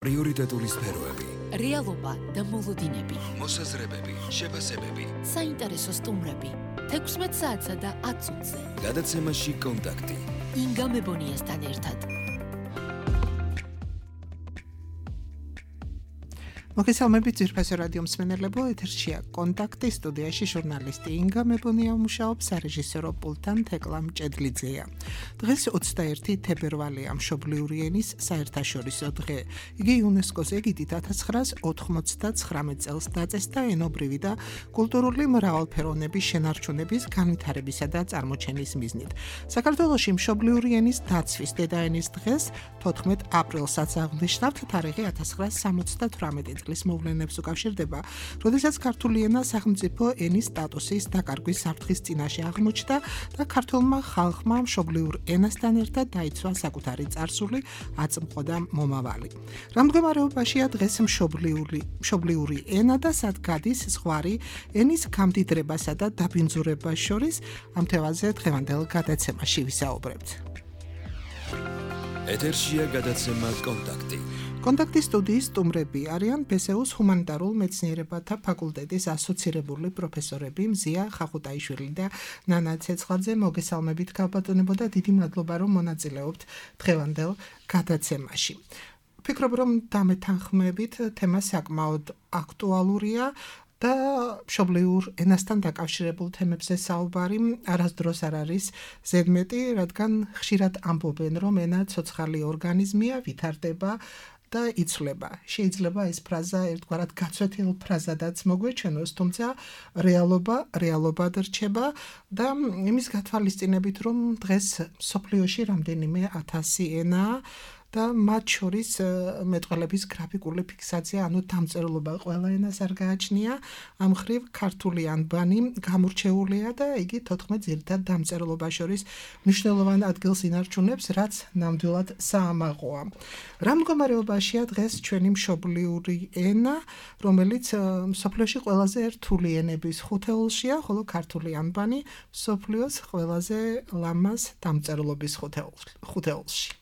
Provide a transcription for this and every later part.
პრიორიტეტული სფეროები, რეალობა და მოლოდინები, მოსაზრებები, შეფასებები, საინტერესო სტუმრები, 16 საათსა და 10 წუთზე. გადაცემაში კონტაქტი. ინგა მებონიასთან ერთად. მოგესალმებით ძვირფასო რადიო მსმენელებო, ეთერშია კონტაქტი, სტუდიაში ჟურნალისტი ინგა მებონია მუშაობს, სარეჟისორო პულტთან თეკლა მჭედლიძეა. დღეს 21 თებერვალია, მშობლიური ენის საერთაშორისო დღე. იგი იუნესკოს ეგიდით 1999 წელს დაწესდა ენობრივი და კულტურული მრავალფეროვნების შენარჩუნების, განვითარებისა და წარმოჩენის მიზნით. საქართველოში მშობლიური ენის დაცვის დედაენის დღეს 14 აპრილსაც აღნიშნავთ, თარიღი 1978 წლის მოვლენებს უკავშირდება, როდესაც ქართული ენა სახელმწიფო ენის სტატუსის დაკარგვის საფრთხის წინაშე აღმოჩნდა და ქართულმა ხალხმა მშობლიურ ენასთან ერთად დაიცვა საკუთარი წარსული, აწმყო და მომავალი. რა მდგომარეობაშია დღეს მშობლიური ენა და სად გადის ზღვარი ენის გამდიდრებასა და დაბინძურებას შორის? ამ თემაზე დღევანდელ გადაცემაში ვისაუბრებთ. ეთერშია გადაცემა კონტაქტი. კონტაქტის სტუდიის სტუმრები არიან ბესეუს ჰუმანიტარულ მეცნიერებათა ფაკულტეტის ასოცირებული პროფესორები მზია ხახუტაიშვილი და ნანა ცეცხლაძე. მოგესალმებით ქალბატონებო და დიდი მადლობა რომ მონაწილეობთ დღევანდელ გადაცემაში. ვფიქრობ რომ დამეთანხმებით თემა საკმაოდ აქტუალურია და მშობლიურ ენასთან დაკავშირებულ თემებზე საუბარი არასდროს არ არის ზედმეტი, რადგან ხშირად ამბობენ რომ ენა ცოცხალი ორგანიზმია, ვითარდება და იცვლება. შეიძლება ეს ფრაზა ერთგვარად გაცვეთილ ფრაზადაც მოგვეჩვენოს, თუმცა რეალობად რჩება და იმის გათვალისწინებით, რომ დღეს მსოფლიოში რამდენიმე 1000 ენაა და მათ შორის მეტყველების გრაფიკული ფიქსაცია, ანუ დამწერლობა ყველა ენას არ გააჩნია. ამ მხრივ ქართული ანბანი გამორჩეულია და იგი 14 ძირითად დამწერლობას შორის მნიშვნელოვან ადგილს ინარჩუნებს, რაც ნამდვილად საამაყოა. რა მდგომარეობაშია დღეს ჩვენი მშობლიური ენა, რომელიც მსოფლიოში ყველაზე რთული ენების ხუთეულშია, ხოლო ქართული ანბანი მსოფლიოს ყველაზე ლამაზ დამწერლობის ხუთეულში.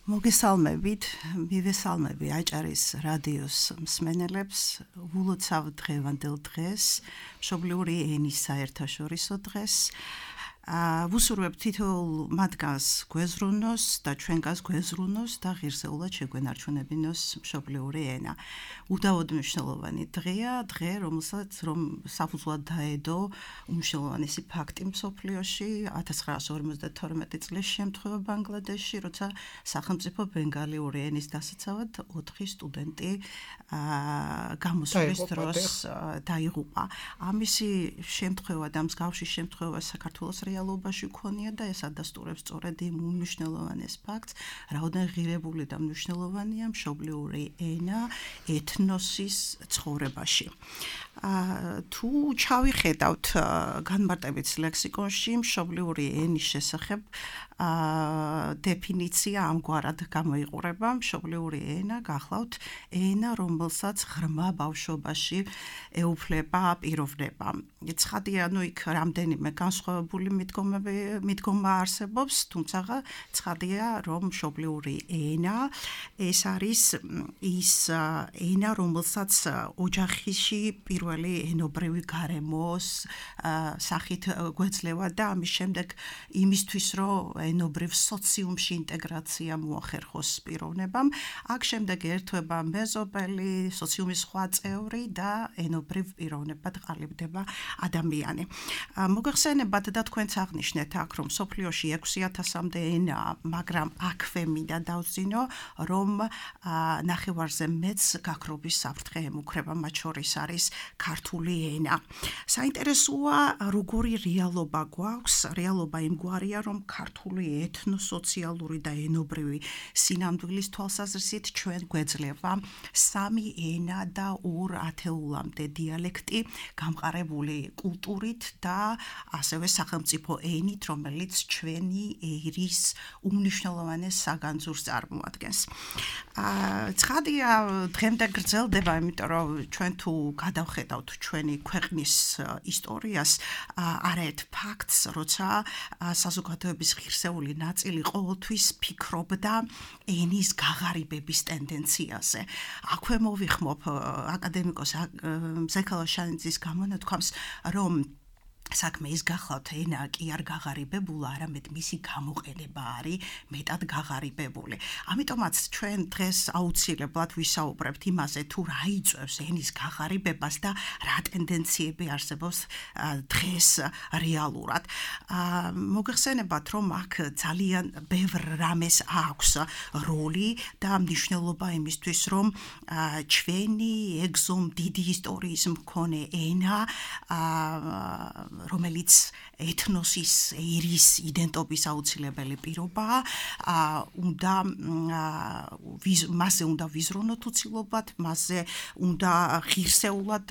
მოგესალმებით, მივესალმები აჭარის რადიოს მსმენელებს, ულოცავ დღევანდელ დღეს, მშობლიური ენის საერთაშორისო დღეს. ვუსურვებ თითოეულ მათგანს გვეზრუნოს და ჩვენგანს გვეზრუნოს და ღირსეულად შეგვენარჩუნებინოს მშობლიური ენა. უდავოდ მნიშვნელოვანი დღეა, დღე, რომელსაც საფუძვლად დაედო უმნიშვნელოვანესი ფაქტი მსოფლიოში 1952 წლის შემთხვევა ბანგლადეშში, როცა სახელმწიფო ბენგალიური ენის დასაცავად 4 სტუდენტი გამოსვლის დროს დაიღუპა. ამისი შემთხვევა და მსგავსი შემთხვევა საქართველოს რეალობაში ქონია და ეს ადასტურებს სწორედ იმ უმნიშვნელოვანეს ფაქტს, რაოდენ ღირებული და მნიშვნელოვანია მშობლიური ენა ეთნოსის ცხოვრებაში. თუ ჩავიხედავთ განმარტებით ლექსიკონში მშობლიური ენის შესახებ დეფინიცია ამგვარად გამოიყურება. მშობლიური ენა გახლავთ ენა, რომელსაც ღრმა ბავშვობაში ეუფლება პიროვნება. ცხადია, იქ რამდენიმე განსხვავებული მიდგომა არსებობს, თუმცა ცხადია, რომ მშობლიური ენა ეს არის ის ენა, რომელსაც ოჯახში პირველი ენობრივი გარემოს სახით გვეძლევა და ამის შემდეგ იმისთვის, რომ ენობრივ სოციუმში ინტეგრაცია მოახერხოს პიროვნებამ, აქ შემდეგ ერთვება მეზობელი, სოციუმის სხვა წევრი და ენობრივ პიროვნებად ყალიბდება ადამიანი. მოგეხსენებათ და თქვენც აღნიშნეთ აქ, რომ მსოფლიოში 6000-მდე ენაა, მაგრამ აქვე მინდა დავძინო, რომ ნახევარზე მეც გაქრობის საფრთხე ემუქრება, მათ შორის არის ქართული ენა. საინტერესოა, როგორი რეალობა გვაქვს, რეალობა იმგვარია, რომ ქართული ეთნოსოციალური და ენობრივი სინამდვილის თვალსაზრისით ჩვენ გვეძლევა 3 ენა და 2 ათეულამდე დიალექტი გამყარებული კულტურით და ასევე სახელმწიფო სახელმწიფო ენით, რომელიც ჩვენი ერის უმნიშვნელოვანეს საგანძურს წარმოადგენს. ცხადია, დღემდე გრძელდება, იმიტომ რომ ჩვენ თუ გადავხედავთ ჩვენი ქვეყნის ისტორიას, არაერთ ფაქტს, როცა საზოგადოების ღირსეული ნაწილი ყოველთვის ფიქრობდა ენის გაღარიბების ტენდენციაზე. აქვე მოვიხმობ აკადემიკოს ზექალა შანიძის გამონათქვამს, რომ საქმე ის გახლავთ ენა კი არ გაღარიბებულა, არამედ მისი გამოყენება არის მეტად გაღარიბებული. ამიტომაც ჩვენ დღეს აუცილებლად ვისაუბრებთ იმაზე, თუ რა იწვევს ენის გაღარიბებას და რა ტენდენციები არსებობს დღეს რეალურად. მოგეხსენებათ, რომ აქ ძალიან ბევრ რამეს აქვს როლი და მნიშვნელობა იმისთვის, რომ ჩვენი ეგზომ დიდი ისტორიის მქონე ენა, რომელიც ეთნოსის ერის იდენტობის აუცილებელი პირობაა, მასზე უნდა ვიზრუნოთ უცილობად, მასზე უნდა ღირსეულად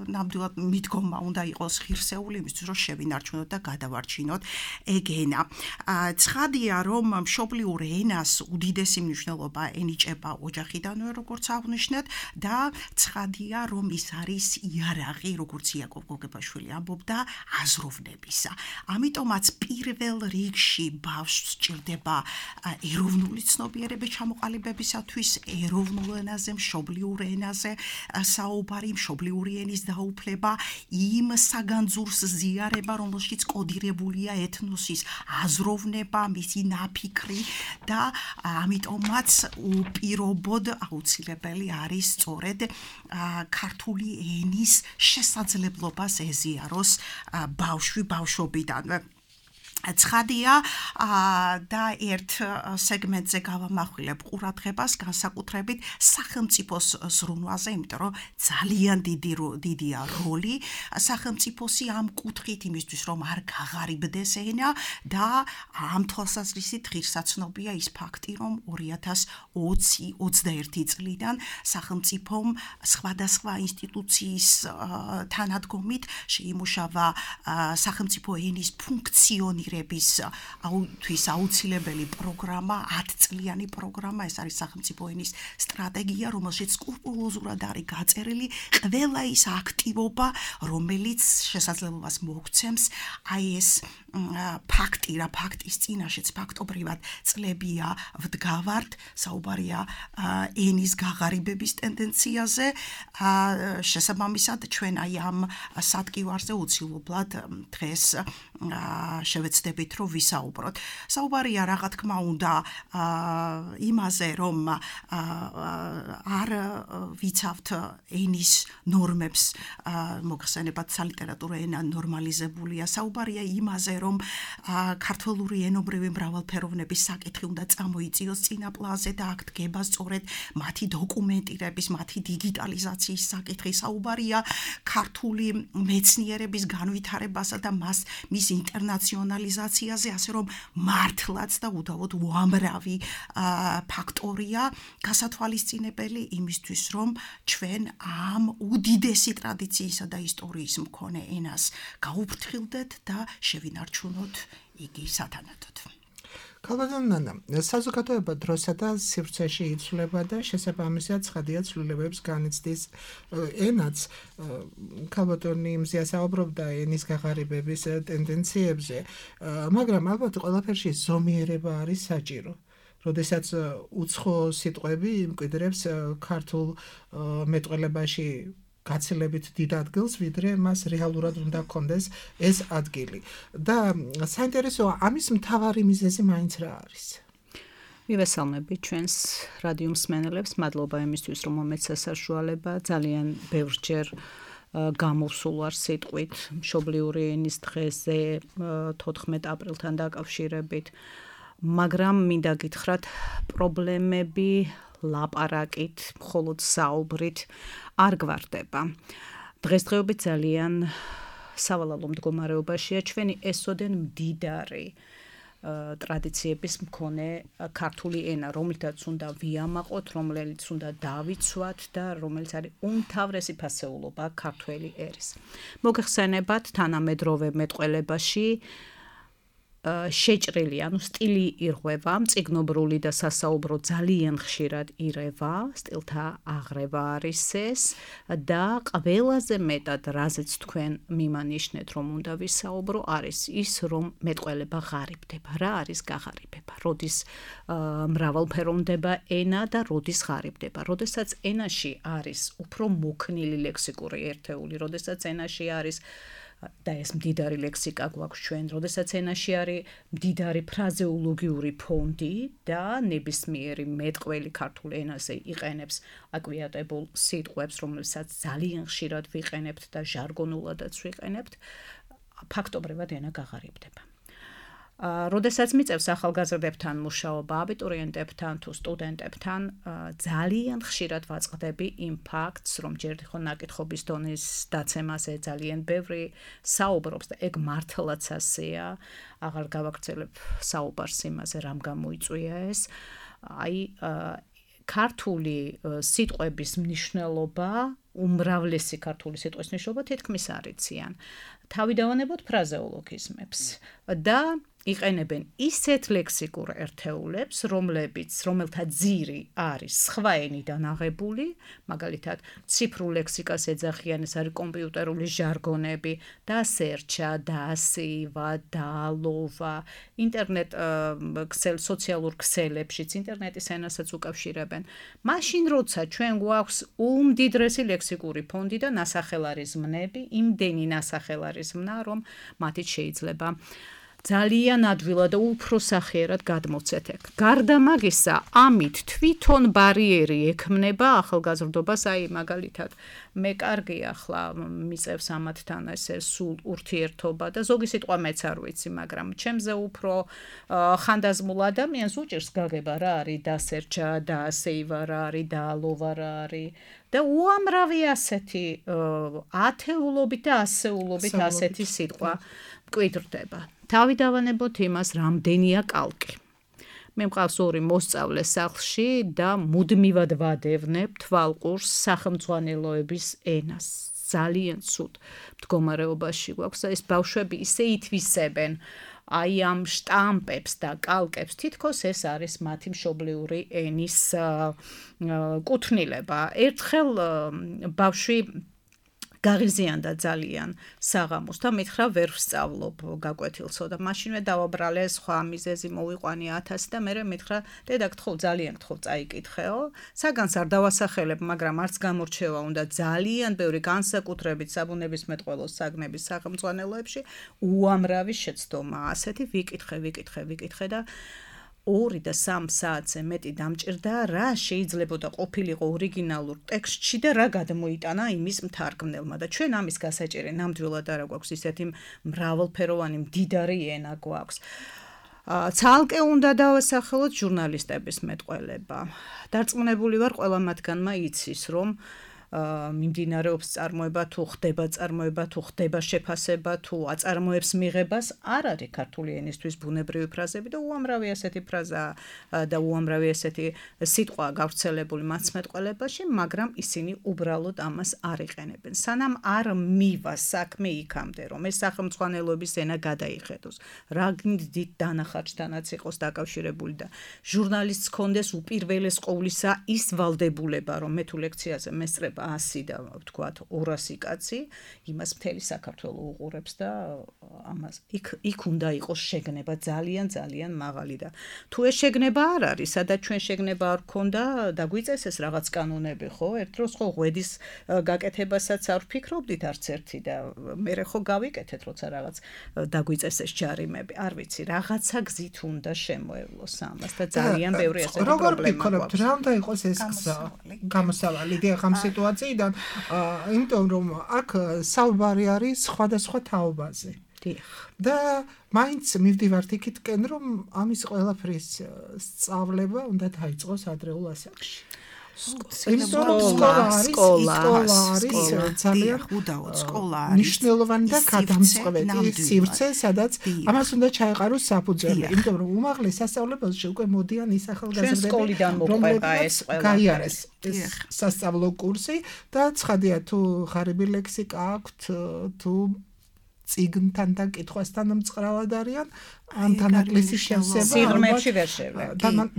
ნამდვილად მიდგომა უნდა იყოს ღირსეული, იმისთვის რომ შევინარჩუნოთ და გადავარჩინოთ ეგ ენა. ცხადია, რომ მშობლიურ ენას უდიდესი მნიშვნელობა ენიჭება ოჯახიდანვე, როგორც აღვნიშნეთ, და ცხადია, რომ ის არის იარაღი, როგორც იაკობ გოგებაშვილი ამბობდა, აზროვნებისა. ამიტომაც პირველ რიგში ბავშვს სჭირდება ეროვნული ცნობიერების ჩამოყალიბებისათვის, ეროვნულ ენაზე, მშობლიურ ენაზე საუბარი, მშობლიური ენის დაუფლება, იმ საგანძურს ზიარება, რომელშიც კოდირებულია ეთნოსის აზროვნება, მისი ნაფიქრი და ამიტომაც უპირობოდ აუცილებელი არის სწორედ ქართული ენის შესაძლებლობას ეზიაროს ბავშვი ბავშვობიდანვე. ცხადია და ერთ სეგმენტზე გავამახვილებ ყურადღებას განსაკუთრებით სახელმწიფოს ზრუნვაზე, იმიტომ რომ ძალიან დიდია როლი სახელმწიფოსი ამ კუთხით იმისთვის, რომ არ გაღარიბდეს ენა და ამ თვალსაზრისით ღირსაცნობია ის ფაქტი, რომ 2020-21 წლიდან სახელმწიფომ სხვადასხვა ინსტიტუციის თანადგომით შეიმუშავა სახელმწიფო ენის ფუნქციონირება თვის აუცილებელი პროგრამა, 10 წლიანი პროგრამა, ეს არის სახელმწიფო ენის სტრატეგია, რომელშიც სკრუპულოზურად არის გაწერილი ყველა ის აქტივობა, რომელიც შესაძლებლობას მოგცემს აი ეს ფაქტი, რა ფაქტის წინაშეც ფაქტობრივად წლებია ვდგავართ, საუბარია ენის გაღარიბების ტენდენციაზე, შესაბამისად ჩვენ აი ამ სადგივარზე უცილებლად დღეს შევეცდებით, რომ ვისაუბროთ. საუბარია რა თქმა უნდა იმაზე, რომ არ ვიცავთ ენის ნორმებს, მოგხსენებათ სალიტერატურო ენა ნორმალიზებულია. საუბარია იმაზე, რომ ქართველური ენობრივი მრავალფეროვნების საკითხი უნდა წამოიწიოს წინა პლანზე და აქ დგება სწორედ მათი დოკუმენტირების, მათი დიგიტალიზაციის საკითხი. საუბარია ქართული მეცნიერების განვითარებასა და მის ინტერნაციონალიზაციაზე, ასე რომ მართლაც და უდავოდ უამრავი ფაქტორია გასათვალისწინებელი იმისთვის, რომ ჩვენ ამ უდიდესი ტრადიციისა და ისტორიის მქონე ენას გაუფრთხილდეთ და შევინარჩუნოთ იგი სათანადოდ. ქალბატონო, საზოგადოება დროსა და სივრცეში იცვლება და შესაბამისად ცხადია ცვლილებებს განიცდის ენაც. ქალბატონი იმზეა საუბრობდა ენის გაღარიბების ტენდენციებზე, მაგრამ ალბათ ყველაფერში ზომიერება არის საჭირო. როდესაც უცხო სიტყვები იმკვიდრებს ქართულ მეტყველებაში გაცილებით დიდ ადგილს, ვიდრე მას რეალურად უნდა ჰქონდეს ეს ადგილი. და საინტერესოა, ამის მთავარი მიზეზი მაინც რა არის? მივესალმებით ჩვენს რადიო მსმენელებს, მადლობა იმისთვის, რომ მომეცა საშუალება ძალიან ბევრჯერ გამოვსულ ვარ სიტყვით მშობლიური ენის დღეზე 14 აპრილთან დაკავშირებით, მაგრამ მინდა გითხრათ, პრობლემები ლაპარაკით, მხოლოდ საუბრით არ გვარდება. დღესდღეობით ძალიან სავალალო მდგომარეობაშია ჩვენი ესოდენ მდიდარი ტრადიციების მქონე ქართული ენა, რომელთაც უნდა ვიამაყოთ, რომელიც უნდა დავიცვათ და რომელიც არის უმთავრესი ფასეულობა ქართველი ერის. მოგეხსენებათ თანამედროვე მეტყველებაში შეჭრილი, ანუ სტილი ირღვევა, მწიგნობრული და სასაუბრო ძალიან ხშირად ირევა, სტილთა აღრევა არის ეს და ყველაზე მეტად რაზეც თქვენ მიმანიშნეთ, რომ უნდა ვისაუბრო, არის ის, რომ მეტყველება ღარიბდება. რა არის გაღარიბება? როდის მრავალფეროვნება ენა და როდის ღარიბდება? როდესაც ენაში არის უფრო მოქნილი ლექსიკური ერთეული, როდესაც ენაში არის და ეს მდიდარი ლექსიკა გვაქვს ჩვენ, როდესაც ენაში არის მდიდარი ფრაზეოლოგიური ფონდი და ნებისმიერი მეტყველი ქართულ ენაზე იყენებს აკვიატებულ სიტყვებს, რომელსაც ძალიან ხშირად ვიყენებთ და ჟარგონულადაც ვიყენებთ, ფაქტობრივად ენა გაღარიბდება. როდესაც მიწევს ახალგაზრდებთან მუშაობა, აბიტურიენტებთან თუ სტუდენტებთან, ძალიან ხშირად ვაწყდები იმ ფაქტს, რომ ჯერ ხო ნაკითხობის დონის დაცემაზე ძალიან ბევრი საუბრობს და ეგ მართლაც ასეა, აღარ გავაგრძელებ საუბარს იმაზე, რამ გამოიწვია ეს. აი, ქართული სიტყვების მნიშვნელობა, უმრავლესი ქართული სიტყვის მნიშვნელობა თითქმის არ იციან. თავიდანვანებოთ ფრაზეოლოგიზმებს და იყენებენ ისეთ ლექსიკურ ერთეულებს, რომელთა ძირი არის სხვა ენიდან აღებული, მაგალითად, ციფრულ ლექსიკას ეძახიან, ეს არის კომპიუტერული ჟარგონები, დასერჩა, დასეივა, დაალოვა, ინტერნეტ სოციალურ ქსელებშიც, ინტერნეტის ენასაც უკავშირებენ. მაშინ როცა ჩვენ გვაქვს უმდიდრესი ლექსიკური ფონდი და ნასახელარიზმნები, იმდენი ნასახელარიზმნა, რომ მათით შეიძლება ძალიან ადვილად და უფრო სახიერად გადმოცეთ ეგ. გარდა მაგისა, ამით თვითონ ბარიერი ექმნება ახალგაზრდობას, აი მაგალითად, მე კარგი ახლა მიწევს ამათთან ესე სულ ურთიერთობა და ზოგი სიტყვა მეც არ ვიცი, მაგრამ ჩემზე უფრო ხანდაზმულ ადამიანს უჭირს გაგება რა არის დასერჩა, დაასეივა რა არის, დაალოვა რა არის და უამრავი ასეთი ათეულობით და ასეულობით ასეთი სიტყვა მკვიდრდება. თავიდანვანებოთ იმას, რამდენია კალკი. მე მყავს ორი მოსწავლე სახლში და მუდმივად ვადევნებ თვალყურს სახელმძღვანელოების ენას. ძალიან ცუდ მდგომარეობაში გვაქვს და ეს ბავშვები ისე ითვისებენ აი ამ შტამპებს და კალკებს, თითქოს ეს არის მათი მშობლიური ენის კუთვნილება. ერთხელ ბავშვი გაღიზიანდა ძალიან საღამოს და მითხრა ვერ ვსწავლობ გაკვეთილსო და მაშინვე დავაბრალე სხვა მიზეზი მოვიყვანი 1000 და მე მითხრა დედა გთხოვ ძალიან გთხოვ წაიკითხეო საგანს არ დავასახელებ მაგრამ არც გამორჩევა უნდა ძალიან ბევრი განსაკუთრებით საბუნებისმეტყველოს საგნების სახელმძღვანელოებში უამრავი შეცდომა ასეთი ვიკითხე და 2 და 3 საათზე მეტი დამჭირდა რა შეიძლებოდა ყოფილიყო ორიგინალურ ტექსტში და რა გადმოიტანა იმის მთარგმნელმა და ჩვენ ამის გასაჭირი ნამდვილად არა გვაქვს ისეთი მრავალფეროვანი მდიდარი ენა გვაქვს ცალკე უნდა დავასახელოთ ჟურნალისტების მეტყველება დარწმუნებული ვარ ყველა მათგანმა იცის რომ მიმდინარეობს წარმოება თუ ხდება შეფასება თუ აწარმოებს მიღებას არ არის ქართული ენისთვის ბუნებრივი ფრაზები და უამრავი ასეთი ფრაზა და უამრავი ასეთი სიტყვა გავრცელებული მაცმეტყველებაში მაგრამ ისინი უბრალოდ ამას არ იყენებენ სანამ არ მივა საქმე იქამდე რომ ეს სახელმძღვანელოების ენა გადაიხედოს რა დიდ დანახარჯთანაც იყოს დაკავშირებული და ჟურნალისტს კონდეს უპირველეს ყოვლისა ის ვალდებულება რომ მე თუ ლექციაზე მესწრებ 100 და ვთქვათ 200 კაცი იმას მთელი საქართველო უყურებს და ამას იქ უნდა იყოს შეგნება ძალიან მაღალი და თუ ეს შეგნება არ არის სადაც ჩვენ შეგნება არ გქონდა დაგვიწეს ეს რაღაც კანონები ხო ერთ დროს ხო ღვედის გაკეთებასაც არ ვფიქრობდით არც ერთი და მე ხო გავიკეთეთ როცა რაღაც დაგვიწეს ეს ჯარიმები არ ვიცი რაღაცა გზით უნდა შემოევლოს ამას და ძალიან ბევრი ასეთი პრობლემა გვაქვს რა უნდა იყოს ეს გზა გამოსავალი ამ სიტუაციიდან იმიტომ რომ აქ საუბარი არის სხვადასხვა თაობაზე და მაინც მივდივართ იქითკენ რომ ამის ყველაფრის სწავლება უნდა დაიწყოს ადრეულ ასაკში სკოლა არის ძალიან უდაოდ სკოლა არის მნიშვნელოვანი და გადამწყვეტი სივრცე, სადაც ამას უნდა ჩაეყაროს საფუძველი, იმიტომ რომ უმაღლეს სასწავლებელში უკვე მოდიან ის ახალგაზრდები, სკოლიდან მოყვება ეს ყველა. გაიარეს ეს სასწავლო კურსი და ცხადია თუ ღარიბი ლექსიკა აქვთ, თუ წიგნთან და კითხვასთან მწყრავად არიან, ან დანაკლისის შევსება სიღრმეებში ვერ შევლენ.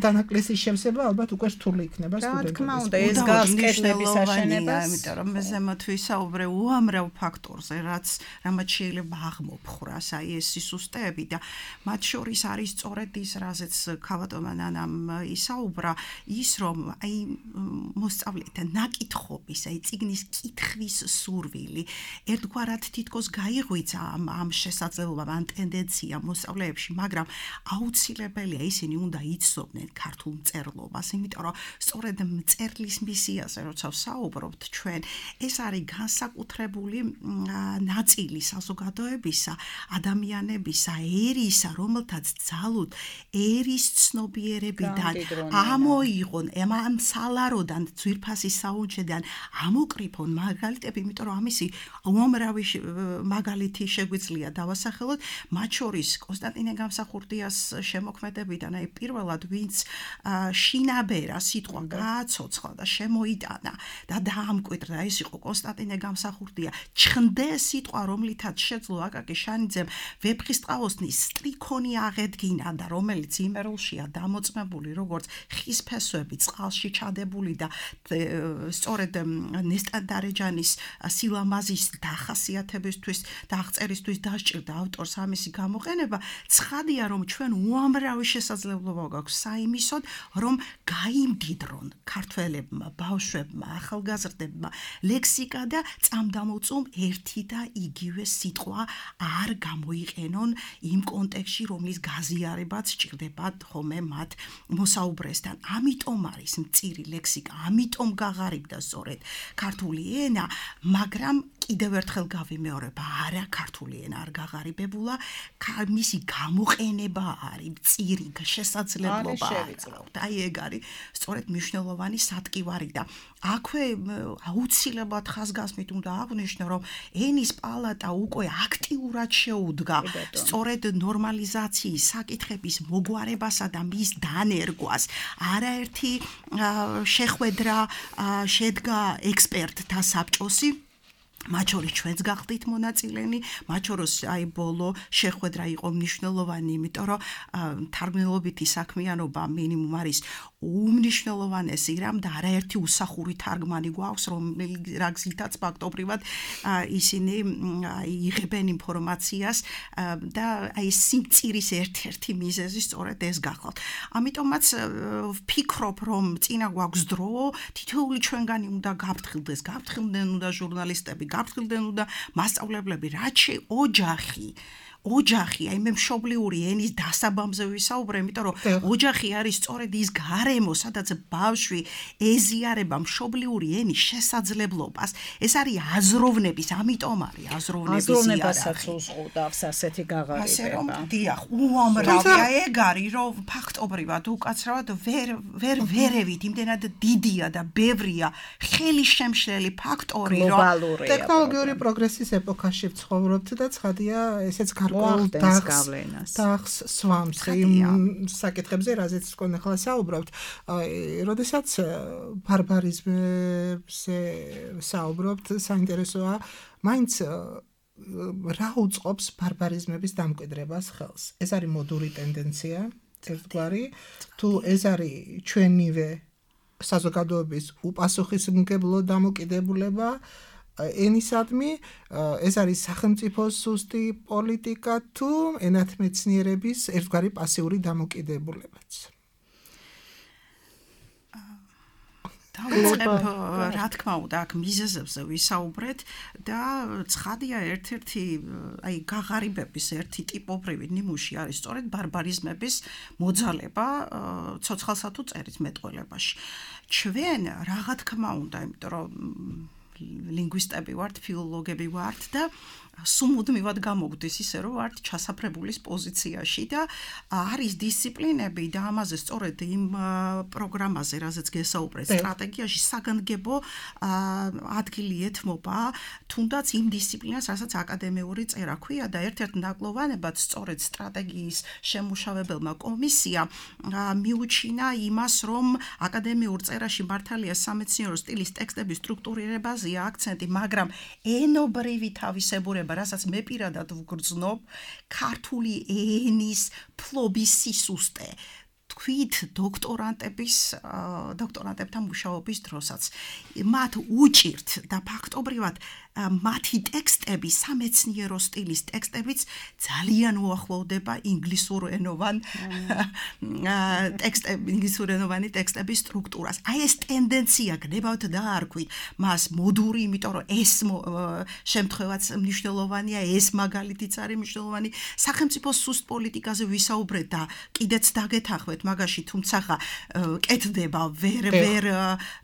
დანაკლისის შევსება ალბათ უკვე რთული იქნება სტუდენტების. რა თქმა უნდა, ეს გასკეთების აშენებას, იმიტომ რომ მე ზემოთ ვისაუბრე უამრავ ფაქტორზე, რამაც შეიძლება აღმოფხრას, აი ეს სისუსტეები და მათ შორის არის სწორედ ის, რაზეც ქალბატონმა ნანამ ისაუბრა, ის რომ აი მოსწავლეთა ნაკითხობის, აი წიგნის კითხვის სურვილი, ერთგვარად თითქოს გაიღვიძა ამ შესაძლებლობამ, ამ ტენდენციამ მოსწავლეებში, მაგრამ აუცილებელია ისინი უნდა იცნობდნენ ქართულ მწერლობას, იმიტომ რომ სწორედ მწერლის მისიაზე როცა ვსაუბრობთ ჩვენ, ეს არის განსაკუთრებული ნაწილი საზოგადოებისა, ადამიანებისა, ერისა, რომელთაც ძალუთ ერის ცნობიერებიდან ამოიღონ, ამ სალაროდან, ძვირფასი საუნჯედან ამოკრიფონ მაგალითები, იმიტომ რომ ამისი უამრავი მაგალითი შეგვიძლია დავასახელოთ, მათ შორის კონსტანტინე გამსახურდიას შემოქმედებიდან, აი პირველად ვინც შინაბერა სიტყვა გააცოცხლა და შემოიტანა და დაამკვიდრა, ეს იყო კონსტანტინე გამსახურდია. ჩხნდე სიტყვა, რომლითაც შეძლო აკაკი შანიძემ ვეფხისტყაოსნის სტრიქონი აღედგინა და რომელიც იმერულშია დამოწმებული როგორც ხის ფესვები წყალში ჩადებული და სწორედ ნესტან დარეჯანის სილამაზის დახასიათებისთვის და აღწერისთვის დასჭირდა ავტორს ამისი გამოყენება. ცხადია, რომ ჩვენ უამრავი შესაძლებლობა გვაქვს საიმისოდ, რომ გაიმდიდრონ ქართველებმა, ბავშვებმა, ახალგაზრდებმა ლექსიკა და წამდამოწმ ერთი და იგივე სიტყვა არ გამოიყენონ იმ კონტექსტში, რომლის გაზიარებაც სჭირდებათ ხოლმე მათ მოსაუბრესთან. ამიტომ არის მწირი ლექსიკა, ამიტომ გაღარიბდა სწორედ ქართული ენა, მაგრამ კიდევ ერთხელ გავიმეორებ, არა ქართული ენა არ გაღარიბებულა, მისი გამოყენება არის მწირი შესაძლებლობა. აი ეგ არის სწორედ მნიშვნელოვანი სატკივარი და აქვე აუცილებლად ხაზგასმით უნდა აღვნიშნო, რომ ენის პალატა უკვე აქტიურად შეუდგა სწორედ ნორმალიზაციის საკითხების მოგვარებასა და მის დანერგვას. არაერთი შეხვედრა შედგა ექსპერტთა საბჭოსი, მათ შორის ჩვენც გახდით მონაწილენი, მათ შორის აი ბოლო შეხვედრა იყო მნიშვნელოვანი, იმიტომ რომ თარგმნელობითი საქმიანობა მინიმუმ არის უმნიშვნელოვანესი რამ და არაერთი უსახური თარგმანი გვაქვს, რა გზითაც ფაქტობრივად ისინი იღებენ ინფორმაციას და აი სიმწირის ერთ-ერთი მიზეზი სწორედ ეს გახლავთ. ამიტომაც ვფიქრობ, რომ წინა გვაქვს დრო, თითოეული ჩვენგანი უნდა გაფრთხილდეს, გაფრთხილდნენ უნდა ჟურნალისტები, გაფრთხილდნენ უნდა მასწავლებლები, რაც ოჯახი, აი მე მშობლიური ენის დასაბამზე ვისაუბრე, იმიტომ რომ ოჯახი არის სწორედ ის გარემო, სადაც ბავშვი ეზიარება მშობლიური ენის შესაძლებლობას. ეს არის აზროვნების, ამიტომ არის აზროვნებასაც უზღუდავს ასეთი გაღარიბება. ასე რომ დიახ, უამრავია ეგ არის, რომ ფაქტობრივად უკაცრავად ვერევით, იმდენად დიდია და ბევრია ხელი შემშლელი ფაქტორი, რომ ტექნოლოგიური პროგრესის ეპოქაში ვცხოვრობთ და ცხადია ესეც დახს სვამს იმ საკითხებზე, რაზეც თქვენ ახლა საუბრობთ. როდესაც ბარბარიზმზე საუბრობთ, საინტერესოა, მაინც რა უწყობს ბარბარიზმების დამკვიდრებას ხელს. ეს არის მოდური ტენდენცია, ერთგვარი, თუ ეს არის ჩვენივე საზოგადოების უპასუხისმგებლო დამოკიდებულება ენისადმი, ეს არის სახელმწიფოს სუსტი პოლიტიკა თუ ენათმეცნიერების ერთგვარი პასიური დამოკიდებულებაც. დავიწყებ, რა თქმა უნდა, აქ მიზეზებზე ვისაუბრეთ და ცხადია ერთ-ერთი აი გაღარიბების ერთი ტიპობრივი ნიმუში არის სწორედ ბარბარიზმების მოძალება ცოცხალსა თუ წერის მეტყველებაში. ჩვენ რა თქმა უნდა, იმიტომ რომ ლინგვისტები ვართ, ფილოლოგები ვართ და სუმუდმივად გამოგვდის ისე რომ ვართ ჩასაფრებულის პოზიციაში და არის დისციპლინები და ამაზე სწორედ იმ პროგრამაზე, რაზეც გესაუბრეთ, სტრატეგიაში საგანგებო ადგილი ეთმობა, თუნდაც იმ დისციპლინას, რასაც აკადემიური წერა ქვია და ერთ-ერთ ნაკლოვანებად სწორედ სტრატეგიის შემმუშავებელმა კომისიამ მიუჩინა იმას, რომ აკადემიურ წერაში მართალია სამეცნიერო სტილის ტექსტების სტრუქტურირებაზეა აქცენტი, მაგრამ ენობრივი თავისებურება, რასაც მე პირადად ვგრძნობ, ქართული ენის ფლობის სისუსტე თქვით დოქტორანტებთან მუშაობის დროსაც მათ უჭირთ და ფაქტობრივად მათი ტექსტები სამეცნიერო სტილის ტექსტებიც ძალიან უახლოვდება ინგლისურენოვანი ტექსტების სტრუქტურას. აი ეს ტენდენცია გნებავთ დაარქვით მას მოდური, იმიტომ რომ ეს შემთხვევაც მნიშვნელოვანია, ეს მაგალითიც არის მნიშვნელოვანი. სახელმწიფოს სუსტ პოლიტიკაზე ვისაუბრეთ და კიდეც დაგეთანხმეთ მაგაში, თუმცა კეთდება, ვერ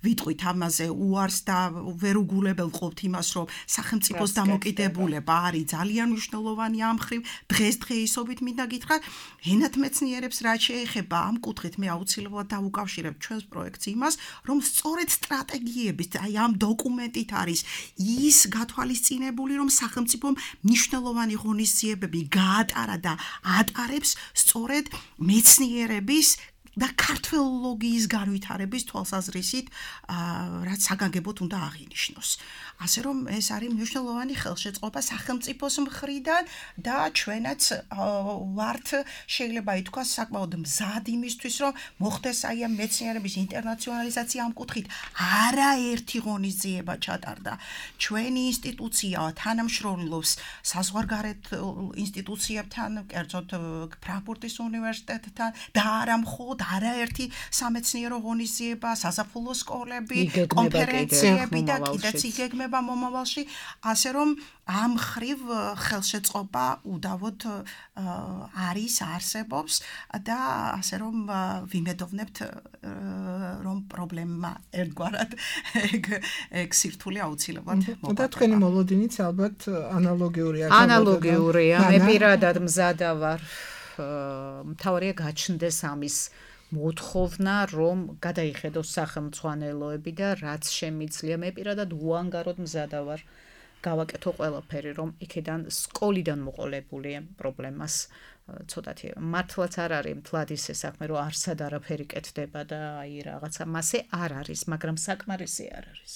ვიტყვით ამაზე უარს და ვერ უგულებელყოფთ იმას, რომ სახელმწიფოს დამოკიდებულება არის ძალიან მნიშვნელოვანი ამ მხრივ. დღესდღეობით მინდა გითხრათ, ენათმეცნიერებს რაც შეეხება ამ კუთხით მე აუცილებლად დავუკავშირებ ჩვენს პროექტს იმას, რომ სწორედ სტრატეგიების, აი ამ დოკუმენტით არის ის გათვალისწინებული, რომ სახელმწიფომ მნიშვნელოვანი ღონისძიებები გაატარა და ატარებს სწორედ მეცნიერების და ქართველოლოგიის განვითარების თვალსაზრისით, რაც საგანგებოდ უნდა აღინიშნოს. ასე რომ ეს არის მნიშვნელოვანი ხელშეწყობა სახელმწიფოს მხრიდან და ჩვენაც ვართ, შეიძლება ითქვას, საკმაოდ მზად იმისთვის, რომ მოხდეს აი ამ მეცნიერების ინტერნაციონალიზაცია ამ კუთხით. არაერთი ღონისძიება ჩატარდა. ჩვენი ინსტიტუცია თანამშრომლობს საზღვარგარეთ ინსტიტუციებთან, კერძოდ ფრანკფურტის უნივერსიტეტთან და არა მხოლოდ არაერთი სამეცნიერო ღონისძიება, საზაფხულო სკოლები, კონფერენციები და კიდეც იგეგმება მომავალში, ასე რომ ამ ხრივ ხელშეწყობა უდავოდ არის, არსებობს და ასე რომ ვიმედოვნებთ, რომ პრობლემა ერთგვარად ეგ სირთულე აუცილებლად მოგვა. და თქვენი მოლოდინიც ალბათ ანალოგიურია. ანალოგიურია, მე პირადად მზადა ვარ. მთავარია გაჩნდეს ამის მოთხოვნა, რომ გადაიხედოს სახელმძღვანელოები და რაც შემიძლია, მე პირადად უანგაროდ მზადა ვარ. გავაკეთო ყველაფერი, რომ იქიდან სკოლიდან მოყოლებული პრობლემას ცოტათი მართლაც არ არის მთლად ისე საქმე, რომ არსად არაფერი კეთდება და აი რაღაცა მასე არ არის, მაგრამ საკმარისი არ არის.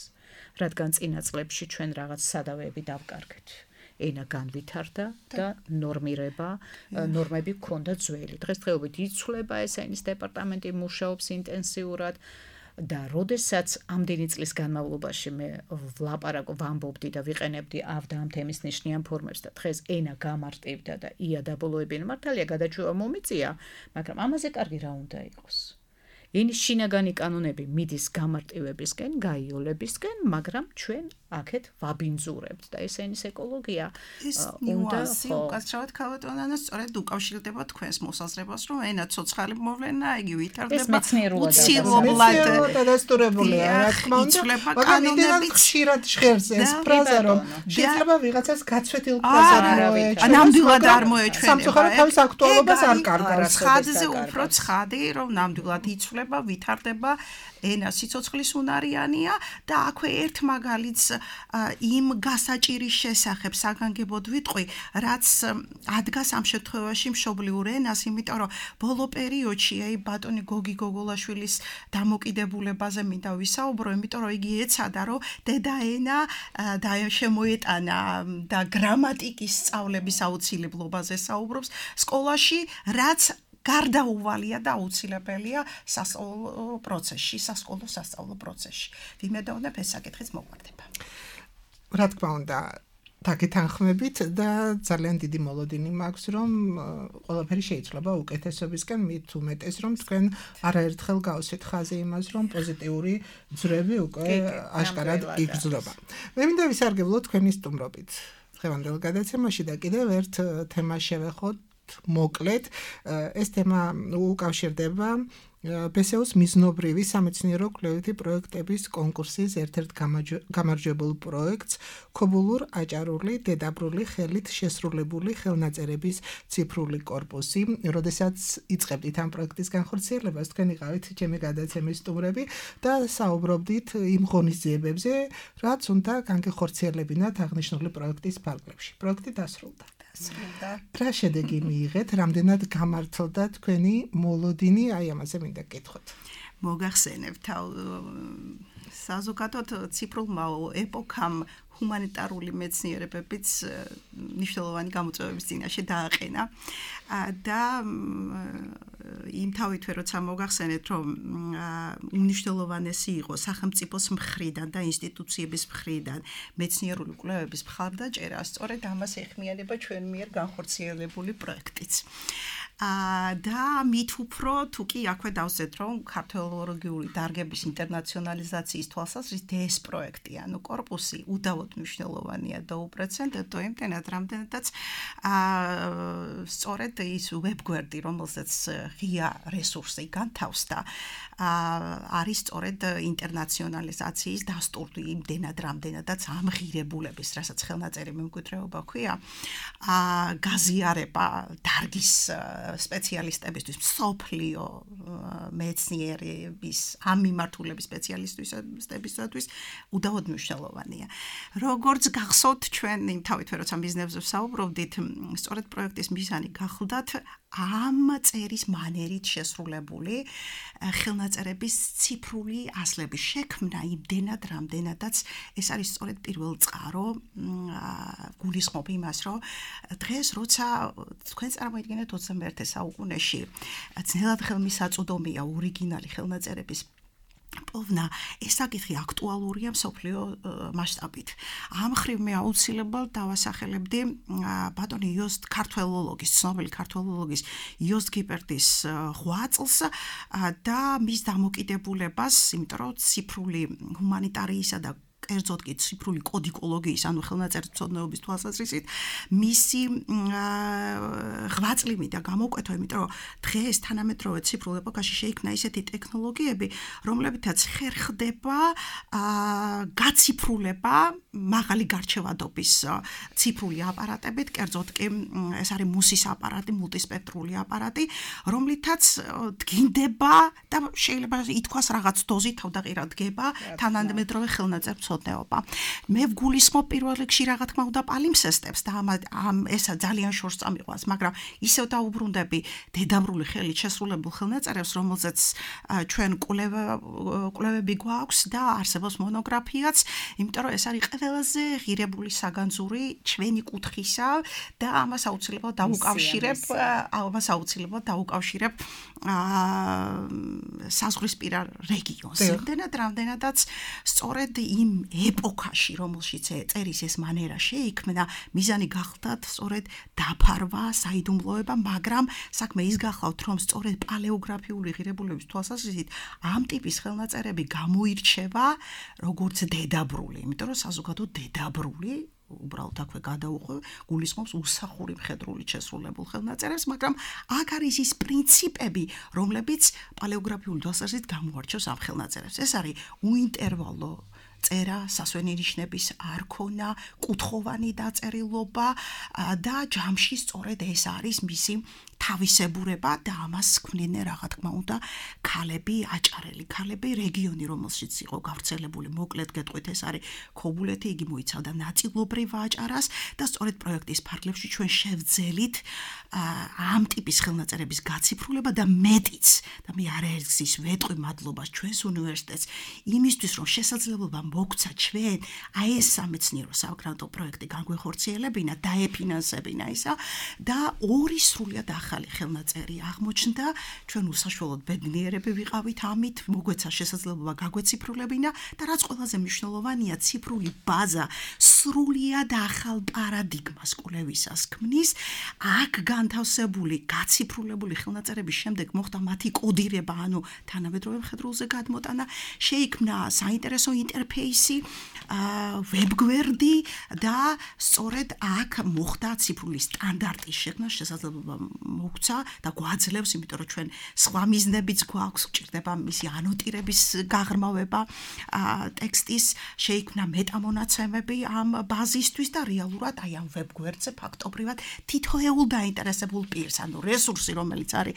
რადგან წინა წლებში ჩვენ რაღაც სადავეები დავკარგეთ. ენა განვითარდა და ნორმები გქონდა ძველი. დღესდღეობით იცვლება ეს ენის დეპარტამენტი, მუშაობს ინტენსიურად და როდესაც ამდენი წლის განმავლობაში მე ვამბობდი და ვიყენებდი და ამ თემის ნიშნიან ფორმებს და დღეს ენა გამარტივდა და იადაბოლოებიანი მართალია გადაჭრა მომიწია, მაგრამ ამაზე კარგი რა უნდა იყოს. ენის შინაგანი კანონები მიდის გამარტივებისკენ, გაიოლებისკენ, მაგრამ ჩვენ აქეთ ვაბინძურებთ და ეს ენის ეკოლოგია უნდა უკაცრავად ქალბატონო, სწორედ უკავშირდება თქვენს მოსაზრებას, რომ ენა ცოცხალი მოვლენა, იგი ვითარდება უცილებლად დადასტურებულია, რა თქმა უნდა, მაგრამ იმდენად ხშირად ჟღერს ეს ფრაზა, რომ შეიძლება ვიღაცას გაცვეთილ ფრაზად მოეჩვენა. ნამდვილად არ მოეჩვენება. სამწუხაროდ თავის აქტუალობას არ კარგავს. ხადზე უფრო ცხადი, რომ ნამდვილად იცვლება, ვითარდება, ენა სიცოცხლის უნარიანია და აქვე ერთ მაგალითს იმ გასაჭირის შესახებ საგანგებოდ ვიტყვი, რაც ადგას ამ შემთხვევაში მშობლიურ ენას, იმიტომ რომ ბოლო პერიოდში აი ბატონი გოგი გოგოლაშვილის დამოკიდებულებაზე მინდა ვისაუბრო, იმიტომ რომ იგი ეცადა, რომ დედა ენა და შემოეტანა და გრამატიკის სწავლების აუცილებლობაზე საუბრობს სკოლაში, რაც გარდაუვალია და აუცილებელია სასწავლო პროცესში. ვიმედოვნებ ეს საკითხიც მოგვარდება. რა თქმა უნდა, დაგეთანხმებით და ძალიან დიდი მოლოდინი მაქვს, რომ ყველაფერი შეიძლება უკეთესობისკენ, მით უმეტეს, რომ თქვენ არაერთხელ გავსვით ხაზი იმას, რომ პოზიტიური ძვრები უკვე აშკარად იგრძნობა. მე მინდა ვისარგებლო თქვენი სტუმრობით დღევანდელ გადაცემაში და კიდევ ერთ თემას შევეხოთ მოკლედ. ეს თემა უკავშირდება PSEO-ს მიზნობრივი სამეცნიერო კვლევითი პროექტების კონკურსის ერთ-ერთ გამარჯვებულ პროექტს ქობულურ აჭარული დედაბრული ხელით შესრულებული ხელნაწერების ციფრული კორპუსი. როდესაც იწყებდით ამ პროექტის განხორციელებას, თქვენ იყავით ჩემი გადაცემის სტუმრები და საუბრობდით იმ ღონისძიებებზე, რაც უნდა განხორციელებინათ აღნიშნული პროექტის ფარგლებში. პროექტი დასრულდა. რა შედეგი მიიღეთ, რამდენად გამართლდა თქვენი მოლოდინი, აი ამაზე მინდა გკითხოთ. მოგახსენებთ, საზოგადოდ ციფრულმა ეპოქამ ჰუმანიტარული მეცნიერებებიც მნიშვნელოვანი გამოწვევების წინაშე დააყენა და იმთავითვე როცა მოგახსენეთ, რომ უმნიშვნელოვანესი იყო სახელმწიფოს მხრიდან და ინსტიტუციების მხრიდან მეცნიერული კვლევების მხარდაჭერა, სწორედ ამას ეხმიანება ჩვენ მიერ განხორციელებული პროექტიც. და მით უფრო თუ კი აქვე დავსეთ, რომ ქართველოლოგიური დარგების ინტერნაციონალიზაციის თვალსაზრისით ეს პროექტი, ანუ კორპუსი უდავოდ მნიშვნელოვანია და უპრეცედენტო იმდენად, რამდენადაც სწორედ ის ვებგვერდი, რომელსაც ღია რესურსი განთავსდა, არის სწორედ ინტერნაციონალიზაციის დასტური იმდენად, რამდენადაც ამღირებულების, რასაც ხელნაწერი მემკვიდრეობა ქვია, გაზიარება დარგის სპეციალისტებისთვის, მსოფლიო მეცნიერების ამ მიმართულების სპეციალისტებისთვის უდავოდ მნიშვნელოვანია. როგორც გახსოვთ, ჩვენ იმთავითვე როცა მიზნებზე ვსაუბრობდით, სწორედ პროექტის მიზანი გახლდათ ამ წერის მანერით შესრულებული ხელნაწერების ციფრული ასლების შექმნა იმდენად, რამდენადაც ეს არის სწორედ პირველ წყარო, გულისხმობ იმას, რომ დღეს როცა თქვენ წარმოიდგინეთ 21 საუკუნეში ძნელად ხელმისაწვდომია ორიგინალი ხელნაწერების პოვნა, ეს საკითხი აქტუალურია მსოფლიო მასშტაბით. ამ ხრივ მე აუცილებლად დავასახელებდი ბატონი იოსტ ქართველოლოგის, ცნობილი ქართველოლოგის იოსტ გიპერტის ღვაწლს და მის დამოკიდებულებას, იმიტომ რომ ციფრული ჰუმანიტარიისა და კერძოდ კი ციფრული კოდიკოლოგიის, ანუ ხელნაწერმცოდნეობის თვალსაზრისით, მისი ღვაწლი და გამოკვეთვა, იმიტომ რომ დღეს თანამედროვე ციფრულ ეპოქაში შეიქმნა ისეთი ტექნოლოგიები, რომლებითაც ხერხდება გაციფრულება მაღალი გარჩევადობის ციფრული აპარატებით, კერძოდ კი ეს არის მუსის აპარატი, მულტისპექტრული აპარატი, რომლითაც დგინდება და შეიძლება ითქვას რაღაც დოზით თავდაღირა დგება თანამედროვე ხელნაწერმცოდნეობა. მე ვგულისხმობ პირველ რიგში რა თქმა უნდა პალიმსესტებს და ესა ძალიან შორს წამიყვანს, მაგრამ ისევ დაუბრუნდები დედაბრული ხელით შესრულებულ ხელნაწერებს, რომელზეც ჩვენ კვლევები გვაქვს და არსებობს მონოგრაფიაც, იმიტომ რომ ეს არის ყველაზე ღირებული საგანძური ჩვენი კუთხისა და ამას აუცილებლად დაუკავშირებ საზღვრისპირა რეგიონს. იმდენად, რამდენადაც სწორედ იმ ეპოქაში, რომელშიც წერის ეს მანერა შეიქმნა, მიზანი გახლდათ სწორედ დაფარვა, საიდუმლოება, მაგრამ საქმე ის გახლავთ, რომ სწორედ პალეოგრაფიული ღირებულების თვალსაზრისით ამ ტიპის ხელნაწერები გამოირჩევა როგორც დედაბრული, იმიტომ რომ საზოგადო დედაბრული უბრალოდ აქვე გადაუხვევ, გულისხმობს უსახური მხედრული შესრულებულ ხელნაწერებს, მაგრამ აქ არის ის პრინციპები, რომლებიც პალეოგრაფიული თვალსაზრისით გამოარჩევს ამ ხელნაწერებს. ეს არის უინტერვალო წერა, სასვენი ნიშნების არქონა, კუთხოვანი დაწერილობა და ჯამში სწორედ ეს არის მისი თავისებურება და ამას ქმნიდნენ რა თქმა უნდა ქალები, აჭარელი ქალები, რეგიონი, რომელშიც იყო გავრცელებული, მოკლედ გეტყვით, ეს არის ქობულეთი, იგი მოიცავდა ნაწილობრივ აჭარას და სწორედ პროექტის ფარგლებში ჩვენ შევძელით ამ ტიპის ხელნაწერების გაციფრულება და მეტიც და მე არაერთგზის ვეტყვი მადლობას ჩვენს უნივერსიტეტს იმისთვის, რომ შესაძლებლობა მოგცა ჩვენ აი ეს სამეცნიერო საგრანტო პროექტი განგვეხორციელებინა, დაეფინანსებინა ისა და ორი სრულიად ახალი ხელნაწერი აღმოჩნდა, ჩვენ უსაშველოდ ბედნიერები ვიყავით ამით, მოგვეცა შესაძლებლობა გაგვეციფრულებინა და რაც ყველაზე მნიშვნელოვანია, ციფრული ბაზა სრულიად ახალ პარადიგმას კვლევისას ქმნის. აქ განთავსებული, გაციფრულებული ხელნაწერების შემდეგ მოხდა მათი კოდირება, ანუ თანამედროვე მხედრულზე გადმოტანა, შეიქმნა საინტერესო ინტერფეისი, ვებგვერდი და სწორედ აქ მოხდა ციფრული სტანდარტის შექმნა შესაძლებლობა მოგცა და გვაძლევს, იმიტომ რომ ჩვენ სხვა მიზნებიც გვაქვს, გჭირდება მისი ანოტირების გაღრმავება ტექსტის, შეიქმნა მეტამონაცემები ამ ბაზისთვის და რეალურად აი ამ ვებგვერდზე ფაქტობრივად თითოეულ დაინტერესებულ პირს, ანუ რესურსი, რომელიც არის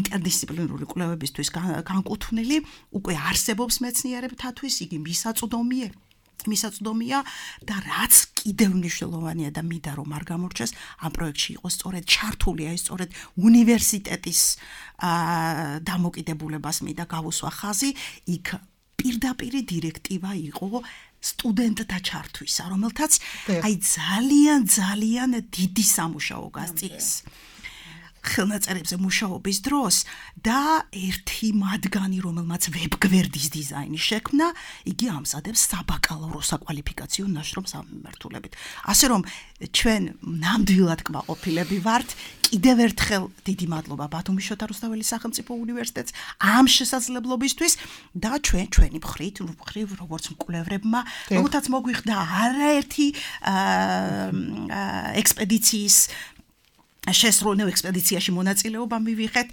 ინტერდისციპლინური კვლევებისთვის განკუთვნილი, უკვე არსებობს მეცნიერებთათვის, იგი მისაწვდომია და რაც კიდევ მნიშვნელოვანია და მინდა რომ არ გამორჩეს, ამ პროექტში იყო სწორედ ჩართული, აი სწორედ უნივერსიტეტის დამოკიდებულებას მინდა გავუსვა ხაზი, იქ პირდაპირი დირექტივა იყო სტუდენტთა ჩართვისა, რომელთაც აი ძალიან დიდი სამუშაო გასწიეს ხელნაწერებზე მუშაობის დროს და ერთი მათგანი, რომელმაც ვებგვერდის დიზაინი შექმნა, იგი ამზადებს საბაკალავრო საკვალიფიკაციო ნაშრომს ამ მიმართულებით. ასე რომ ჩვენ ნამდვილად კმაყოფილები ვართ, კიდევ ერთხელ დიდი მადლობა ბათუმის შოთა რუსთაველის სახელმწიფო უნივერსიტეტს ამ შესაძლებლობისთვის და ჩვენი მხრივ როგორც მკვლევრებმა, როგორცაც მოგვიხდა არაერთი ექსპედიციის შესრულებულ ექსპედიციაში მონაწილეობა მივიღეთ,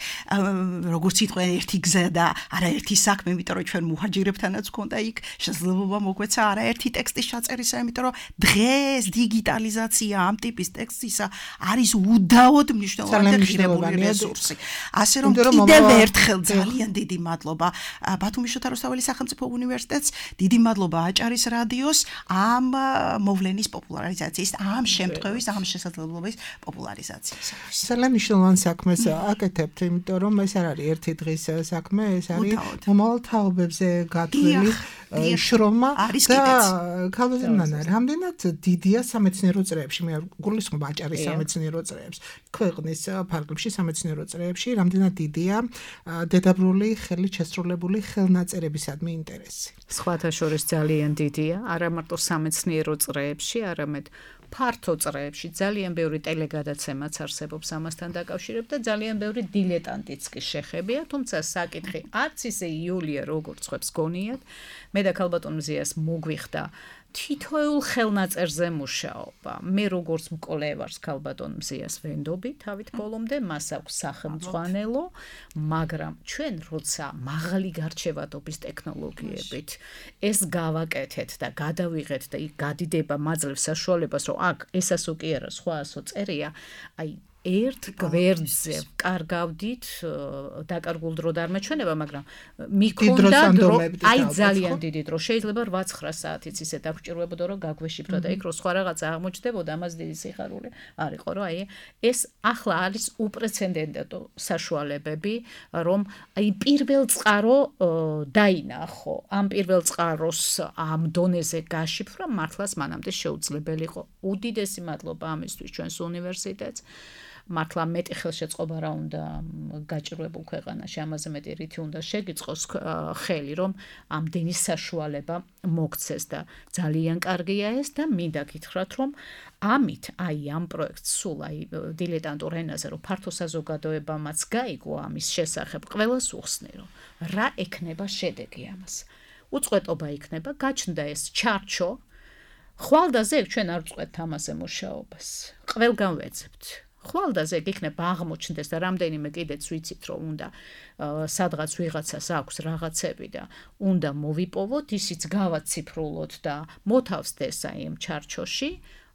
როგორც იტყვიან, ერთი გზა და არაერთი საქმე, იმიტომ რომ ჩვენ მუჰაჯირებთანაც გქონდა იქ შესაძლებლობა მოგვეცა არაერთი ტექსტის ჩაწერისა, იმიტომ რომ დღეს დიგიტალიზაცია ამ ტიპის ტექსტისა არის უდაოდ მნიშვნელოვანი და ღირებული რესურსი. ასე რომ კიდევ ერთხელ ძალიან დიდი მადლობა ბათუმის შოთა რუსთაველის სახელმწიფო უნივერსიტეტს, დიდი მადლობა აჭარის რადიოს ამ მოვლენის პოპულარიზაციის, ამ შემთხვევის, ამ შესაძლებლობის პოპულარიზაციის. ძალიან მნიშვნელოვან საქმეს აკეთებთ, იმიტომ რომ ეს არ არის ერთი დღის საქმე, ეს არის მომავალ თაობებზე გათვლილი შრომა და ქალბატონი ნანა, რამდენად დიდია სამეცნიერო წრეებში, მე გულისხმობ აჭარის სამეცნიერო წრეებს, ქვეყნის ფარგლებში სამეცნიერო წრეებში, რამდენად დიდია დედაბრული ხელით შესრულებული ხელნაწერებისადმი ინტერესი. სხვათა შორის ძალიან დიდია, არა მარტო სამეცნიერო წრეებში, არამედ ფართო წრეებში ძალიან ბევრი ტელეგადაცემაც არსებობს ამასთან დაკავშირებით და ძალიან ბევრი დილეტანტიც კი შეხებია, თუმცა საკითხი არც ისე იულია როგორც ხვებს გონიათ. მე და ქალბატონ მზიას მოგვიხდა თითოეულ ხელნაწერზე მუშაობა. მე როგორც მკვლევარს ქალბატონ მზიას ვენდობი თავით ბოლომდე, მას აქვს სახელმძღვანელო, მაგრამ ჩვენ როცა მაღალი გარჩევადობის ტექნოლოგიებით ეს გავაკეთეთ და გადავიღეთ და იქ გადიდება მაძლევს საშუალებას, რომ აქ ესასო კი არა, სხვაასო წერია, აი ერთ გვერდზე კარგავდით, დაკარგულ დრო და არ მეჩვენება, მაგრამ მიქონდა დრო, აი ძალიან დიდი დრო, შეიძლება 8-9 საათიც ისე დაგჭირვებოდა, რომ გაგვეშიფრა და იქ რო სხვა რაღაცა აღმოჩნდებოდა, ამას დიდი სიხარული არ იყო, რომ აი ეს ახლა არის უპრეცედენტო საშუალებები, რომ აი პირველ წყარო დაინახო, ამ პირველ წყაროს ამ დონეზე გაშიფრვა მართლაც მანამდე შეუძლებელი იყო. უდიდესი მადლობა ამისთვის ჩვენს უნივერსიტეტს. მართლა მეტი ხელშეწყობა რა უნდა გაჭირვებულ ქვეყანაში, ამაზე მეტი რითი უნდა შეგიწყოს ხელი, რომ ამდენი საშუალება მოგცეს და ძალიან კარგია ეს და მინდა გითხრათ, რომ ამით აი ამ პროექტს სულ აი დილეტანტურ ენაზე, რომ ფართო საზოგადოებამაც გაიგო ამის შესახებ, ყველას უხსნი, რომ რა ექნება შედეგი ამას. უწყვეტობა იქნება, გაჩნდა ეს ჩარჩო, ხვალდაზე ჩვენ არ ვწყვეტთ ამაზე მუშაობას, ყველგან ვეძებთ. ხვალდაზე იქნება აღმოჩნდეს და რამდენიმე კიდეც ვიცით, რომ უნდა სადღაც ვიღაცას აქვს რაღაცები და უნდა მოვიპოვოთ, ისიც გავაციფრულოთ და მოთავსდეს აი ამ ჩარჩოში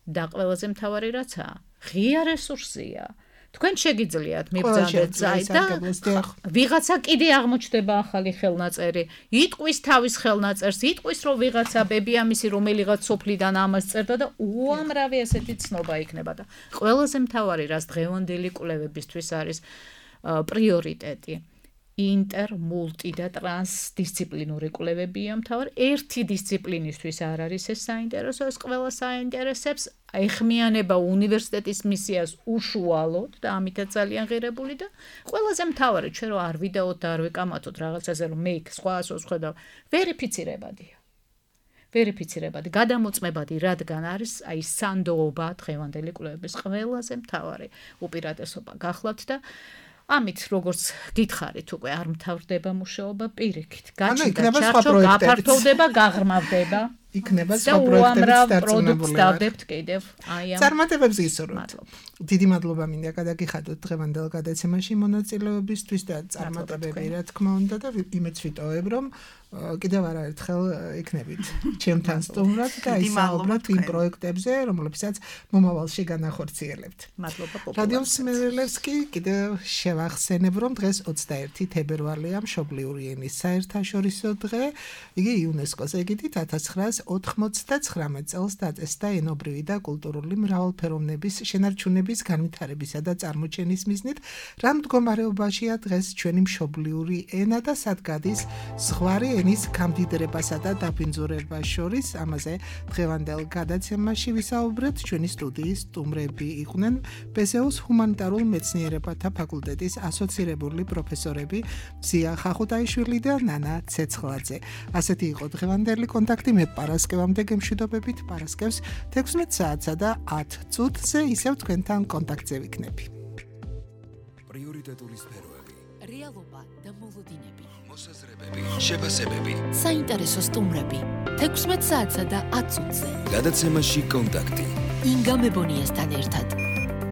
და ყველაზე მთავარი რაცაა, ღია რესურსია. თქვენ შეგიძლიათ მიბრძანდეთ აი და ვიღაცა კიდე აღმოჩნდება ახალი ხელნაწერი, იტყვის თავის ხელნაწერს, იტყვის რომ ვიღაცა ბებიამისი რომელიღაც სოფლიდან ამას წერდა და უამრავი ესეთი ცნობა იქნება და ყველაზე მთავარი რაც დღევანდელი კვლევებისთვის არის პრიორიტეტი. ინტერ, მულტი და ტრანსდისციპლინური კვლევებია მთავარი. ერთი დისციპლინისთვის არ არის ეს საინტერესო, ეს ყველა საინტერესებს. ეხმიანება უნივერსიტეტის მისიას უშუალოდ და ამითაც ძალიან ღირებული და ყველაზე მთავარი ჩვენ რომ არ ვიდაოთ და არ ვეკამათოთ რაღაცაზე რომ მე იქ სხვაასოს ხედავ, ვერიფიცირებადია. ვერიფიცირებადი, გადამოწმებადი, რადგან არის აი სანდოობა დღევანდელი კვლევების ყველაზე მთავარი უპირატესობა გახლავთ და ამით როგორც გითხარით უკვე არ მთავრდება მუშაობა პირიქით. გაჩნდა ჩარჩო, გაფართოვდება, გაღრმავდება. იქნება და სხვა პროექტებიც უამრავ პროდუქტს დარწმუნებული ვარ. დავდებთ კიდევ აი ამ წარმატებებს გისურვებთ. მადლობა. დიდი მადლობა მინდა გადაგიხადოთ დღევანდელ გადაცემაში მონაწილეობისთვის და წარმატებები რა თქმა უნდა და იმეც ვიტოვებ რომ კიდევ არაერთხელ იქნებით ჩემთან სტუმრად და ისაუბროთ იმ პროექტებზე რომლებსაც მომავალში განახორციელებთ. მადლობა რადიო მსმენელებს კი კიდევ შევახსენებ რომ დღეს 21 თებერვალია მშობლიური ენის საერთაშორისო დღე. იგი იუნესკოს ეგიდით 1999 წელს დაწესდა ენობრივი და კულტურული მრავალფეროვნების შენარჩუნების განვითარებისა და წარმოჩენის მიზნით. რა მდგომარეობაშია დღეს ჩვენი მშობლიური ენა და სად გადის ზღვარი ენის გამდიდრებასა და დაბინძურებას შორის? ამაზე დღევანდელ გადაცემაში ვისაუბრეთ. ჩვენი სტუდიის სტუმრები იყვნენ პესეუს ჰუმანიტარულ მეცნიერებათა ფაკულტეტის ასოცირებული პროფესორები ზია ხახუტაიშვილი და ნანა ცეცხლაძე. ასეთი იყო დღევანდელი კონტაქტი. მე პარასკევამდე გემშვიდობებით. პარასკევს 16 საათსა და 10 წუთზე ისევ თქვენთან კონტაქტზე ვიქნები. პრიორიტეტული სფეროები, რეალობა და მოლოდინები, მოსაზრებები, შეფასებები. საინტერესო სტუმრები 16 საათსა და 10 წუთზე გადაცემაში კონტაქტი. ინგა მებონიასთან ერთად